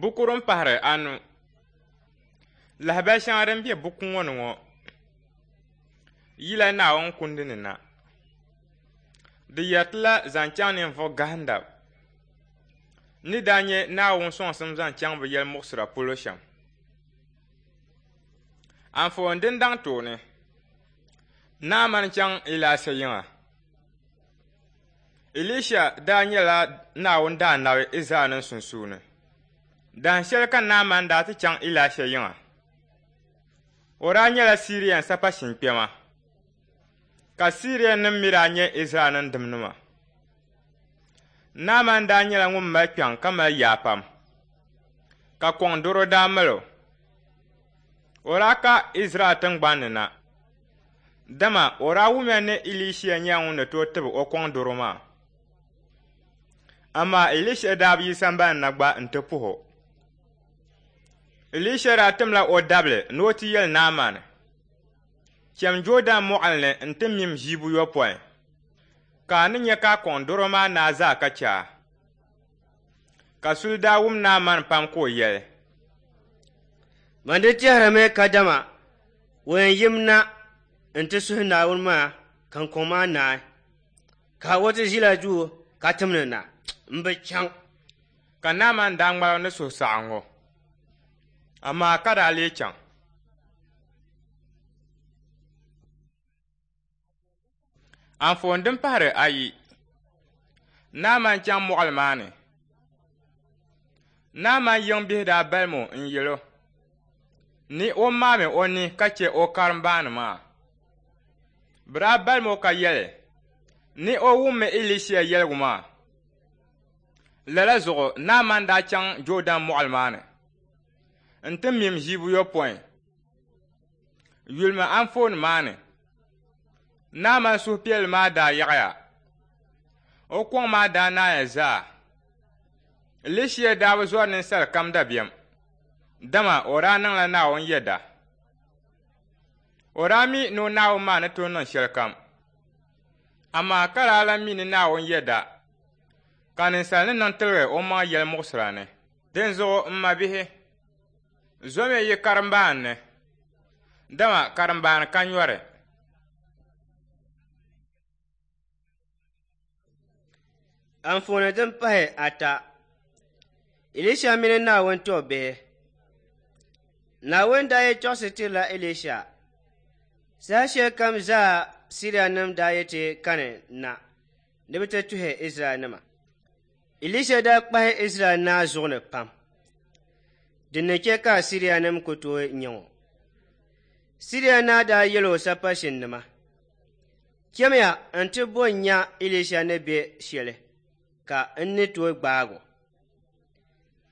Buku din pahiri anu. Lahabali shɛŋa din be buku ŋɔ ni ŋɔ yila Naawuni Kundi ni na. Di yɛri la zaŋ chaŋ ninvuɣ gahinda ni daa nya Naawuni sɔŋsim zaŋ chaŋ bɛ yɛlimuɣisira polo shɛm. Anfooni din daŋ tooni, Naaman chaŋ Ilaisha yiŋa. Elisha daa nyɛla Naawuni daanabi Izraɛlnim sunsuuni. Dahin shɛli ka Naaman daa ti chaŋ Ilaisha yiŋa. O daa nyɛla Sirian sapashin kpɛma, ka Sirianim mi daa nyɛ Izraɛlnim dimnima. Naaman daa nyɛla ŋun mali kpiɔŋ ka mali yaa pam, ka kɔŋ dɔro daa mali o. O daa ka Izraɛl tiŋgbani ni na, dama o daa wumya ni Elisha nyɛla ŋun ni tooi tibi o kɔŋ dɔro maa. Amaa Elisha daa bi yi sambani na gba nti puhi o. Elisha daa timla o dabili ni o ti yɛli Naaman, Cham Jɔɔdɛn mɔɣili ni nti mim ʒii buyopɔin, ka a ni nya ka a kɔŋ dɔro maa naai zaa ka chɛ a. Ka suli daa wum Naaman pam ka o yɛli, Man di tɛhirimi kadama o yɛn yim na nti suhi Naawuni maa ka n kɔŋ maa naai, ka o ti ʒila duu ka timdi na, m bi chaŋ. Ka Naaman daa ŋmaligi ni suhusaɣiŋgu, amaa ka daa lee chaŋ. Anfooni din pahiri ayi, Naaman chaŋ mɔɣili maa ni. Naaman yiŋbihi daa balim o n-yɛl o ni o maami o ni ka chɛ o karimbaani maa. Bɛ daa balim o ka yɛli ni o wummi Elisha yɛligu maa. Lala zuɣu Naaman daa chaŋ Jɔɔdɛn mɔɣili maa ni nti mim ʒii buyopɔin. Yulimi anfooni maa ni, Naaman suhupiɛlli maa daa yaɣiya. O kɔŋ maa daa naaya zaa. Elisha daa bi zɔri ninsal kam dabiɛm, dama o daa niŋla Naawuni yɛda. O daa mi ni o Naawuni maa ni tooi niŋ shɛlikam, amaa ka daa lan mi ni Naawuni yɛda ka ninsal ni niŋ tiligi omaŋ yɛlimuɣisira ni. Dinzuɣu m mabihi, zomiya yi karimbaani ni, dama karimbaani ka nyɔri. Anfooni din pahi ata, Elisha mini Naawuni tɔbbihi. Naawuni daa yi tɔɣisi tirila Elisha. Saha shɛli kam zaa Sirianim daa yi ti kani na ni bɛ ti tuhi Izraɛlnima. Elisha daa kpahi Izraɛl naa zuɣu ni pam, din ni chɛ ka Sirianim ku tooi nyaŋ o. Siria naa daa yɛl o sapashinnima, Chamiya nti bo n-nya Elisha ni be shɛli ka n ni tooi gbaag o.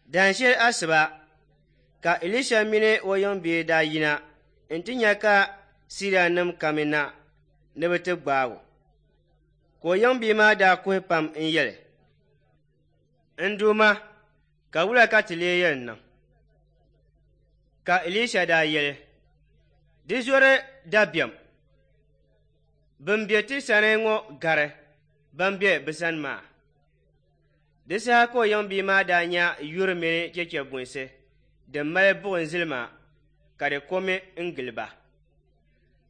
Dahin shɛli asiba ka Elisha mini o yiŋbihi daa yina nti nya ka Sirianim kamina ni bɛ ti gbaag o. Ka o yiŋbihi maa daa kuhi pam n-yɛli, N Duuma, ka wula ka ti lee yɛn niŋ? Ka Elisha daa yɛli, Di zɔri dabiɛm, bɛn be ti sani ŋɔ gari ban be bɛ sani maa. Di saha ka o yiŋbia maa daa nya yuri mini chɛchɛbunsi din mali buɣim zilima ka di komi n-gili ba.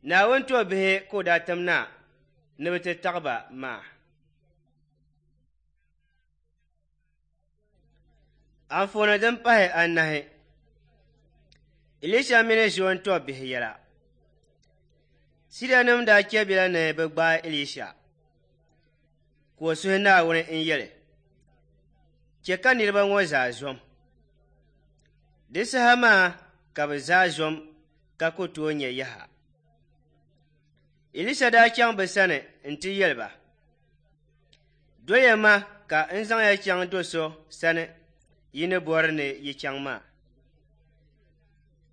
Naawuni tɔbbihi ka o daa tim na ni bɛ ti taɣi ba maa. Anfooni din pahi anahi, Elisha mini Ziɔn tɔbbihi yɛla. Sirianim daa chɛbila ni bɛ gbaai Elisha, ka o suhi Naawuni n-yɛli, Chɛ ka niriba ŋɔ zaa zom. Di saha maa ka bɛ zaa zom ka ku tooi nya yaha. Elisha daa chaŋ bɛ sani nti yɛli ba, Doliya ma ka n zaŋ ya chaŋ do so sani yi ni bɔri ni yi chaŋ maa.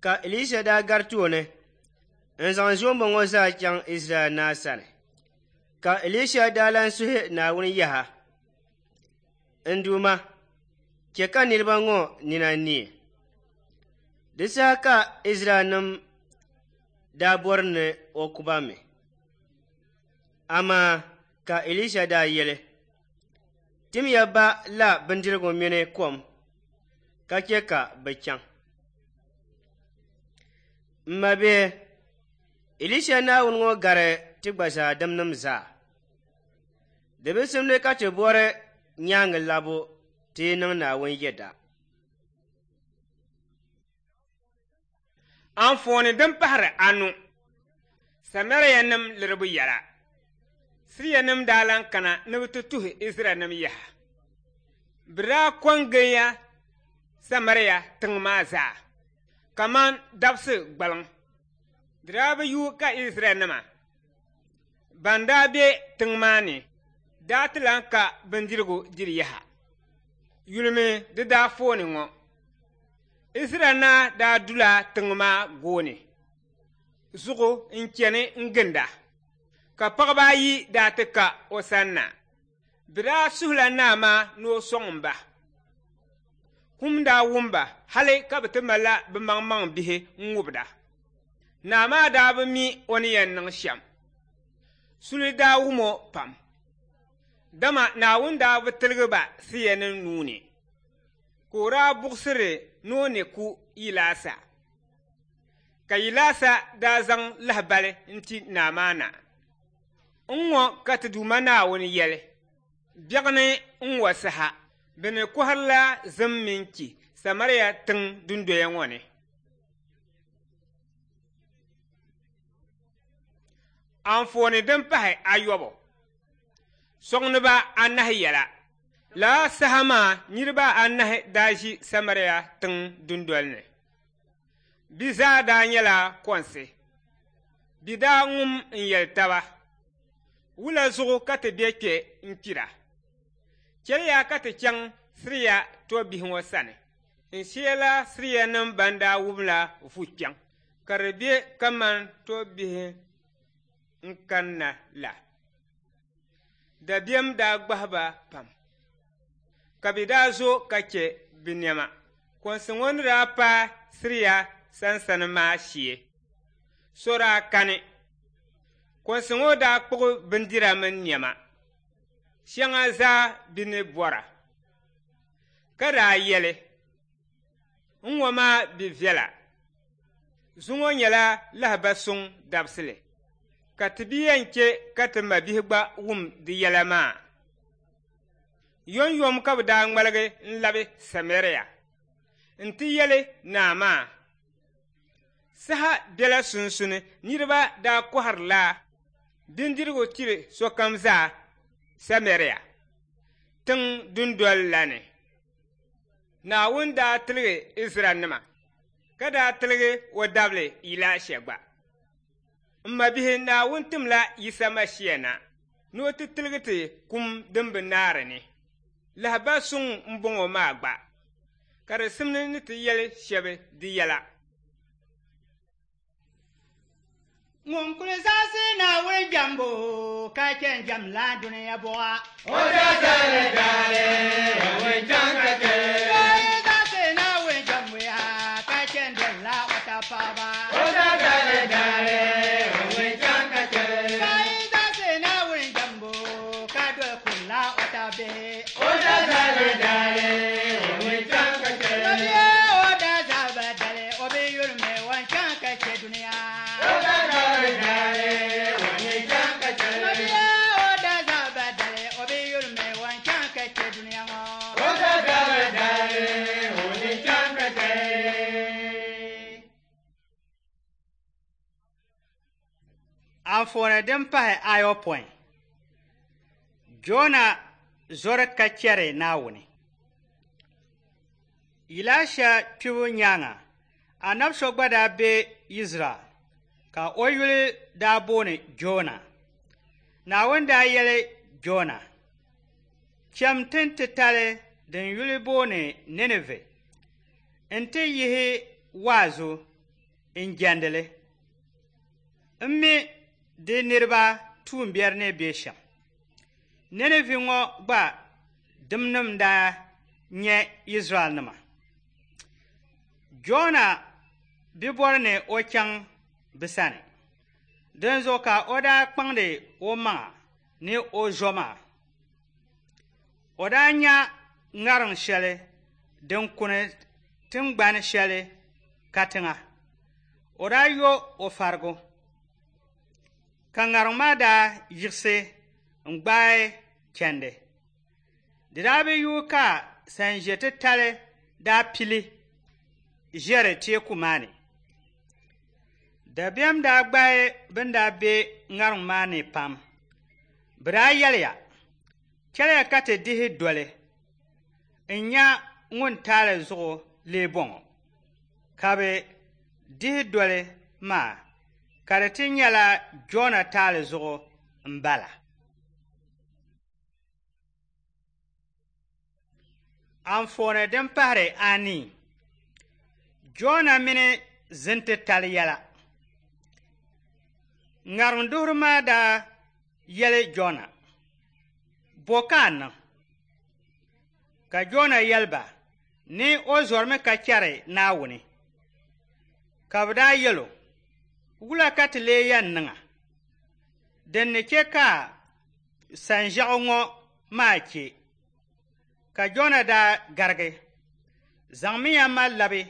Ka Elisha daa gari tooni n-zaŋ zoomba ŋɔ zaa chaŋ Izraɛl naa sani. Ka Elisha daa lan suhi Naawuni yaha, N Duuma, chɛ ka niriba ŋɔ nina neei. Di saha ka Izraɛlnim daa bɔri ni o ku ba mi. Amaa ka Elisha daa yɛli, Timiya ba la bindirigu mini kom, ka chɛ ka bɛ chaŋ. M mabihi, Elisha Naawuni ŋɔ gari ti gba zaa dimnim zaa. Di bi simdi ka ti bɔri nyaaŋa labu ti yi niŋ Naawuni yɛda. Anfooni din pahiri anu, Samarianim liribu yɛla. Sirianim daa lan kana ni bɛ ti tuhi Izraɛlnim yaha. Bɛ daa ko n-giliya Samaria tiŋ maa zaa kaman dabisi gbaliŋ. Di daa bi yuui ka Izraɛlnima ban daa be tiŋ maa ni daa ti lan ka bindirigu diri yaha. Yulimi di daafooni ŋɔ. Izraɛl naa daa dula tiŋ maa gooni zuɣu n-chani n-ginda, ka paɣiba ayi daa ti ka o sanna. Bɛ daa suhila naa maa ni o sɔŋ ba. Kum daa wum ba hali ka bɛ ti malila bɛ maŋmaŋ bihi n-ŋubida. Naa maa daa bi mi o ni yɛn niŋ shɛm. Suli daa wum o pam, dama Naawuni daa bi tiligi ba Sirianim nuu ni, ka o daa buɣisiri ni o ni ku Ilaasa. Ka Ilaasa daa zaŋ lahibali n-ti naa maa na. N-ŋɔ ka ti Duuma Naawuni yɛli, Biɛɣuni n-ŋɔ saha, bɛ ni kɔhirila zim mini chi Samaria tiŋ dundoya ŋɔ ni. Anfooni din pahi ayɔbu, Sɔŋdiba anahi yɛla. Lala saha maa niriba anahi daa ʒi Samaria tiŋ dundoli ni. Bɛ zaa daa nyɛla kɔnsi. Bɛ daa ŋum n-yɛli taba, Wula zuɣu ka ti be kpe n-kpira? Chɛliya ka ti chaŋ Siria tɔbbihi ŋɔ sani n-sheela Sirianim ban daa wumla vu kpiɔŋ ka di be kaman tɔbbihi n-kanna la. Dabiɛm daa gbahi ba pam, ka bɛ daa zo ka chɛ bɛ nɛma. Kɔnsi ŋɔ ni daa paai Siria sansani maa shee, so daa kani. Kɔnsi ŋɔ daa kpuɣi bindira mini nɛma shɛŋa zaa bɛ ni bɔra, ka daa yɛli, N-ŋɔ maa bi viɛla. Zuŋɔ nyɛla lahiba suŋ dabisili, ka ti bi yɛn chɛ ka ti mabihi gba wum di yɛla maa. Yomyom ka bɛ daa ŋmaligi n-labi Samaria nti yɛli naa maa, Saha bela sunsuni niriba daa kɔhirila bindirigu tiri sokam zaa Samaria tiŋ dundol la ni. Naawuni daa tiligi Izraɛlnima, ka daa tiligi o dabili Ilaisha gba. M mabihi, Naawuni timla Yisa Mashia na ni o ti tiligi ti kum din bi naari ni. Lahibal suŋ m-bɔŋɔ maa gba, ka di simdi ni ti yɛli shɛba di yɛla. Ŋun kuli zaɣisi Naawuni jɛmbu ka chɛ n-jɛmla dunia buɣa. O daa zali daali, o chaŋ ka chɛ. O yi zaɣisi Naawuni jɛmbu yaa ka chɛ n-dolila o tab paɣiba. O daa zali daali, o chaŋ ka chɛ. Ka yi zaɣisi Naawuni jɛmbu ka doli kurila o tab bihi. O daa zali daali, o chaŋ ka chɛ. Mabia o daa zaba dali, o bi yurimi o chaŋ ka chɛ dunia. O daa zali daali, o chaŋ ka chɛ. Mabia o daa zaba dali, o bi yurimi o chaŋ ka chɛ dunia ŋɔ. O daa zali daali, o chaŋ ka chɛ. Anfooni din pahi ayopɔin, Jona zɔri ka chɛri Naawuni. Ilaisha kpibu nyaaŋa, anabi so gba daa be Izraɛl ka o yuli daa booni Jona. Naawuni daa yɛli Jona, Cham tin titali din yuli booni Ninive nti yihi waazu n-jɛndi li. M mi di niriba tuumbiɛri ni be shɛm. Ninive ŋɔ gba dimnim daa nyɛ Izraɛlnima. Jona bi bɔri ni o chaŋ bɛ sani, dinzuɣu ka o daa kpaŋdi o maŋa ni o zo maa. O daa nya ŋariŋ shɛli din kuni tiŋgbani shɛli katiŋa. O daa yo o farigu, ka ŋariŋ maa daa yiɣisi n-gbaai chandi. Di daa bi yuui ka sanʒe titali daa pili ʒiɛri teeku maa ni. Dabiɛm daa gbaai bɛn daa be ŋariŋ maa ni pam. Bɛ daa yɛliya, Chɛliya ka ti dihi doli n-nya ŋun taali zuɣu lee bɔŋɔ. Ka bɛ dihi doli maa, ka di ti nyɛla Jona taali zuɣu m-bala. Anfooni din pahiri anii, Jona mini zintitali yɛla. Ŋariŋ duhiri maa daa yɛli Jona, Bo ka a niŋ? Ka Jona yɛli ba ni o zɔrimi ka chɛri Naawuni. Ka bɛ daa yɛl o, Wula ka ti lee yɛn niŋ a din ni chɛ ka sanʒiɛɣu ŋɔ maa chɛ? Ka Jona daa garigi, Zaŋmiya ma labi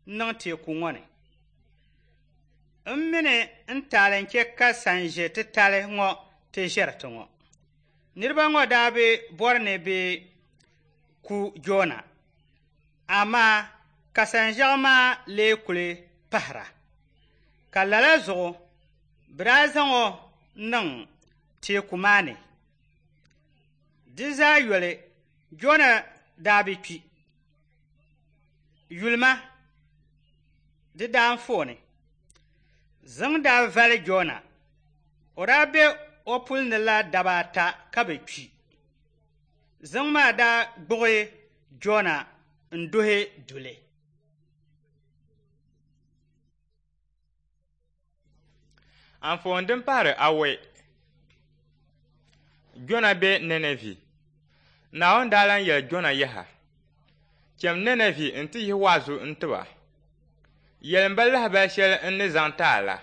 niŋ teeku ŋɔ ni. M mi ni n taali n-chɛ ka sanʒe titali ŋɔ ti ʒiɛri ti ŋɔ. Niriba ŋɔ daa bi bɔri ni bɛ ku Jona, amaa ka sanʒiɛɣu maa lee kuli pahira. Ka lala zuɣu bɛ daa zaŋ o niŋ teeku maa ni. Di zaa yoli, Jona daa bi kpi. Yulima di daanfooni. Ziŋ daa vali Jona. O daa be o puli ni la daba ata ka bi kpi. Ziŋ maa daa gbuɣi Jona n-duhi duli. Anfooni din pahiri awɔi. Jona be Ninɛvi. Naawuni daa lan yɛli Jona yaha, Cham Ninɛvi nti yihi waazu n-ti ba. Yɛlim ba lahibali shɛli n ni zaŋ ti a la.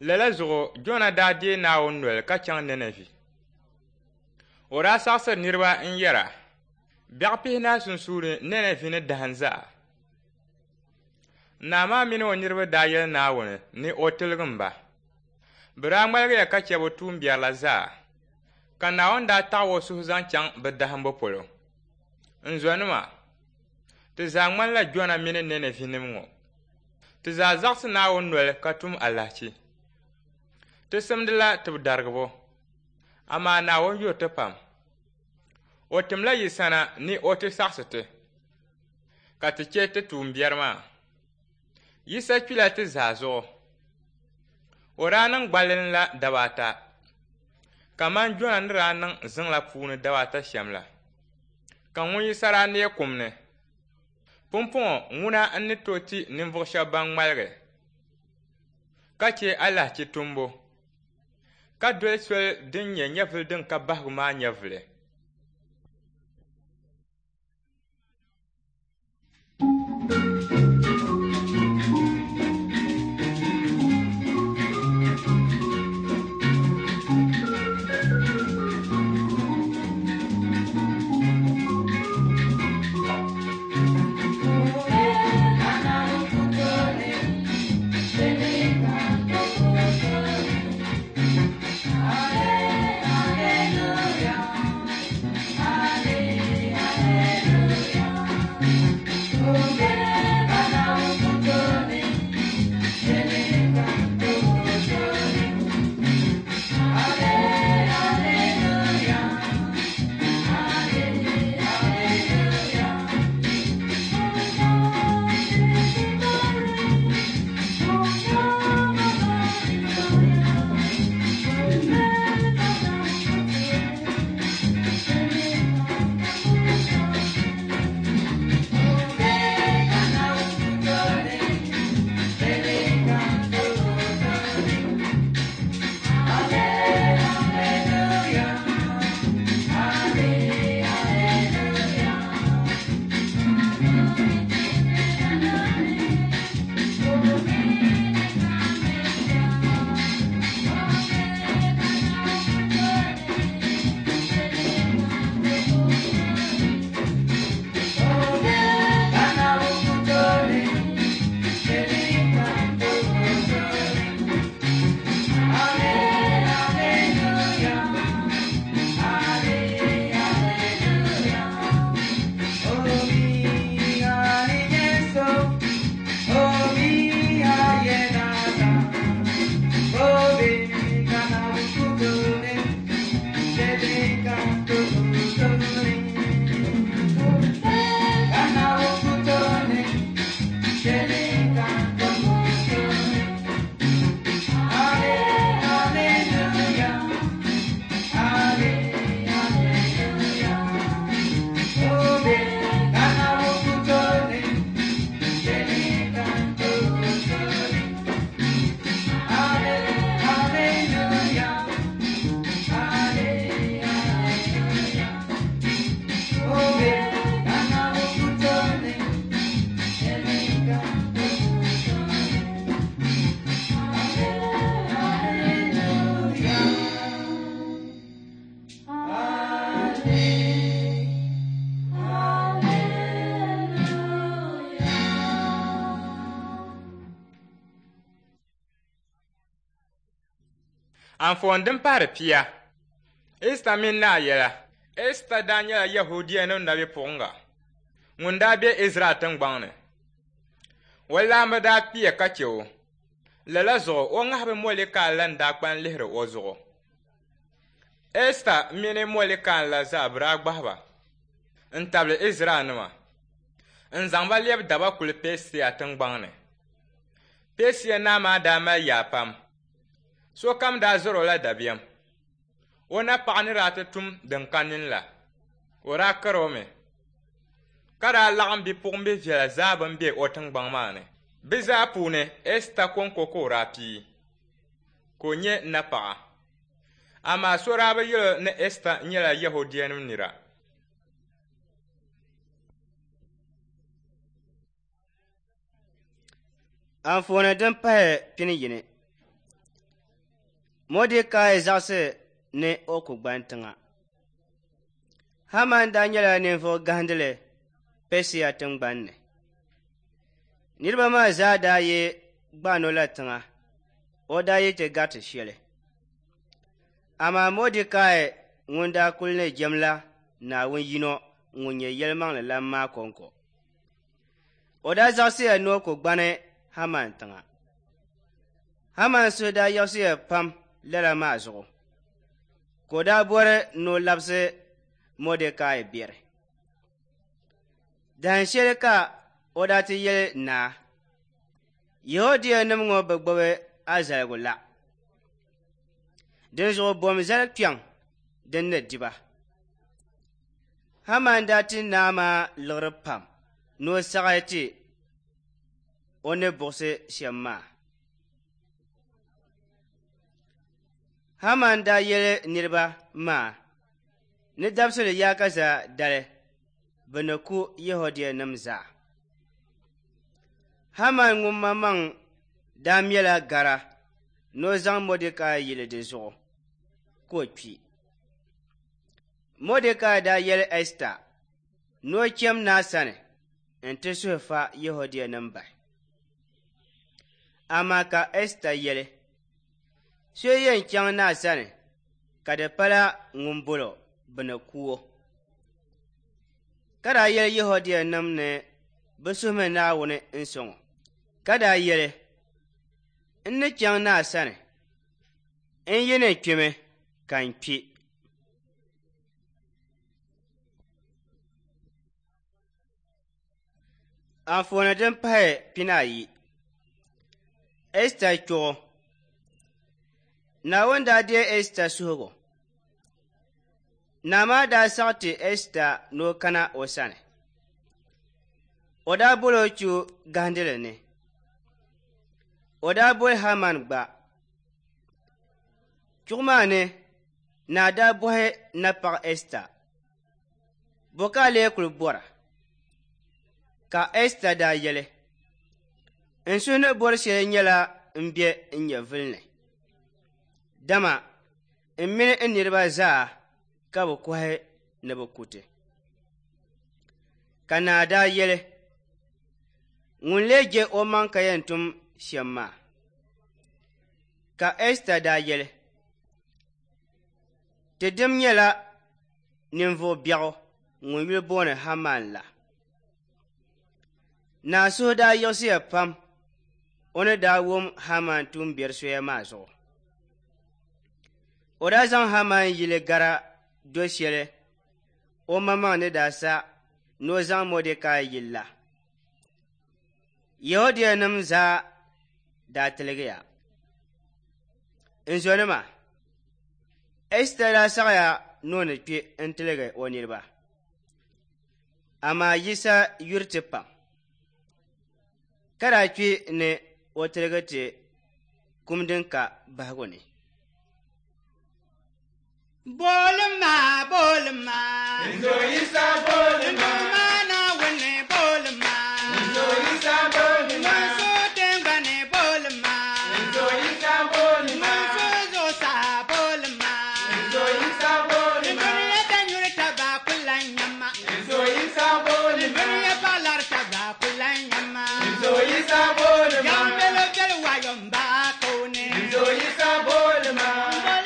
Lala zuɣu Jona daa deei Naawuni noli ka chaŋ Ninɛvi. O daa saɣisiri niriba n-yɛra, Biɛɣu pihinahi sunsuuni Ninɛvi ni dahim zaa. Naa maa mini o niriba daa yɛli Naawuni ni o tiligim ba. Bɛ daa ŋmaligiya ka chɛ bɛ tuumbiɛri la zaa, ka Naawuni daa taɣi o suhu zaŋ chaŋ bɛ dahimbu polo. N zɔnima, ti zaa ŋmanila Jona mini Ninɛvinim ŋɔ. Ti zaa zaɣisi Naawuni noli ka tum alahichi. Ti simdila tibidarigibo, amaa Naawuni yuri ti pam. O timla yi sana ni o ti saɣisi ti, ka ti chɛ ti tuumbiɛri maa. Yisa kpila ti zaa zuɣu. O daa niŋ gballi la daba ata, kaman Jona ni daa niŋ ziŋ la puuni daba ata shɛm la, ka ŋun Yisa daa neei kum ni. Pumpɔŋɔ ŋuna n-ni tooi ti ninvuɣ shɛb ban ŋmaligi ka chɛ alahichi tumbu, ka doli soli din nyɛ nyɛvili din ka bahigu maa nyɛvili. Hallelujah. Anfooni din pahiri 10. Ɛsta mini naa yɛla. Ɛsta daa nyɛla Yɛhudianim nabipuɣiŋga ŋun daa be Izraɛl tiŋgbɔŋ ni. O laamba daa kpiya ka chɛ o. Lala zuɣu o ŋahibi Mɔdɛkai la n-daa kpani lihiri o zuɣu. Ɛsta mini Mɔdɛkai la zaa bɛ daa gbahi ba n-tabili Izraɛlnima n-zaŋ ba lɛbi daba kuli Pɛɛsiya tiŋgbɔŋ ni. Pɛɛsiya naa maa daa mali yaa pam. Sokam daa zɔr o la dabiɛm. O napaɣa ni daa ti tum din ka nini la, o daa kari o mi, ka daa laɣim bipuɣimbihi viɛla zaa bɛn be o tiŋgbɔŋ maa ni. Bɛ zaa puuni Ɛsta kɔŋko ka o daa pii, ka o nyɛ napaɣa. Amaa so daa bi yɛl o ni Ɛsta nyɛla Yɛhudianim nira. Anfooni din pahi 21. Mɔdɛkai zaɣisi ni o ku gbani tiŋa. Haman daa nyɛla ninvuɣ gahindili Pɛsia tiŋgbani ni. Niriba maa zaa daa yi gbani o la tiŋa, o daa yi ti gariti shɛli. Amaa Mɔdɛkai ŋun daa kuli ni jɛmla Naawuni yino ŋun nyɛ yɛlimaŋli lan maa kɔŋko. O daa zaɣisiya ni o ku gbani Haman tiŋa. Haman suhu daa yiɣisiya pam lala maa zuɣu, ka o daa bɔri ni o labisi Mɔdɛkai biɛri. Dahin shɛli ka o daa ti yɛli naa, Yɛhudianim ŋɔ bi gbubi a zaligu la. Dinzuɣu bom zali kpiɔŋ din ni di ba. Haman daa ti naa maa liɣiri pam ni o saɣi ti o ni buɣisi shɛm maa. Haman daa yɛli niriba maa ni dabisili yaakaza dali bɛ ni ku Yɛhudianim zaa. Haman ŋun maŋmaŋ daa mɛla gara ni o zaŋ Mɔdɛkai yili di zuɣu ka o kpi. Mɔdɛkai daa yɛli Ɛsta ni o cham naa sani nti suhi fa Yɛhudianim bahi. Amaa ka Ɛsta yɛli, so yɛn chaŋ naa sani ka di pala ŋun bol o bɛ ni ku o. Ka daa yɛli Yɛhudianim ni bɛ suhimi Naawuni n-sɔŋ o. Ka daa yɛli, n ni chaŋ naa sani, n yi ni kpimi ka n kpi. Anfooni din pahi 12. Ɛsta chuɣu. Naawuni daa deei Ɛsta suhigu. Naa maa daa saɣi ti Ɛsta ni o kana o sani. O daa boli o chu gahindili ni. O daa boli Haman gba. Chuɣu maa ni, naa daa bɔhi napaɣa Ɛsta, bɔ ka a lee kuli bɔra? Ka Ɛsta daa yɛli, n suhu ni bɔri shɛli nyɛla m be n nyɛvili ni. Dama n mini n niriba zaa ka bɛ kɔhi ni bɛ ku ti. Ka naa daa yɛli, ŋun lee je omaŋ ka yɛn tum shɛm maa. Ka Ɛsta daa yɛli, ti dim nyɛla ninvuɣ biɛɣu ŋun yuli booni Haman la. Naa suhu daa yiɣisiya pam o ni daa wum Haman tuumbiɛri soya maa zuɣu. O daa zaŋ Haman yili gara do shɛli o maŋmaŋ ni daa sa ni o zaŋ Mɔdɛkai yili la. Yɛhudianim zaa daa tiligiya. N zɔnima, Ɛsta daa saɣiya ni o ni kpi n-tiligi o niriba. Amaa Yisa yuri ti pam, ka daa kpi ni o tiligi ti kum din ka bahigu ni. Bolima, bolima. Nzo Yisa bolima. Nduma Naawuni bolima. Nzo Yisa bolima. Ŋun so tiŋgbani bolima. Nzo Yisa bolima. Ŋun so zuɣusaa bolima. Nzo Yisa bolima. Dunia danyuri taba kula nyama. Nzo Yisa bolima. Dunia paɣalari taba kula nyama. Nzo Yisa bolima. Yan belo belo wayo mba kone. Nzo Yisa bolima. Mbolo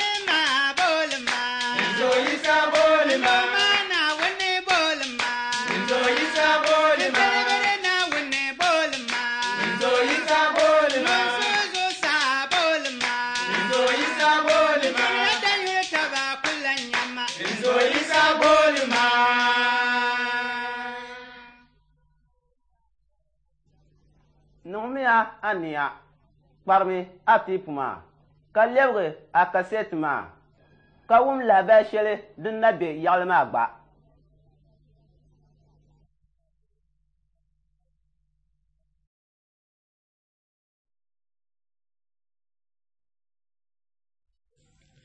Niŋmiya ania, kparimi a teepu maa, ka lɛbigi a kasɛti maa, ka wum lahabali shɛli din na be yaɣili maa gba.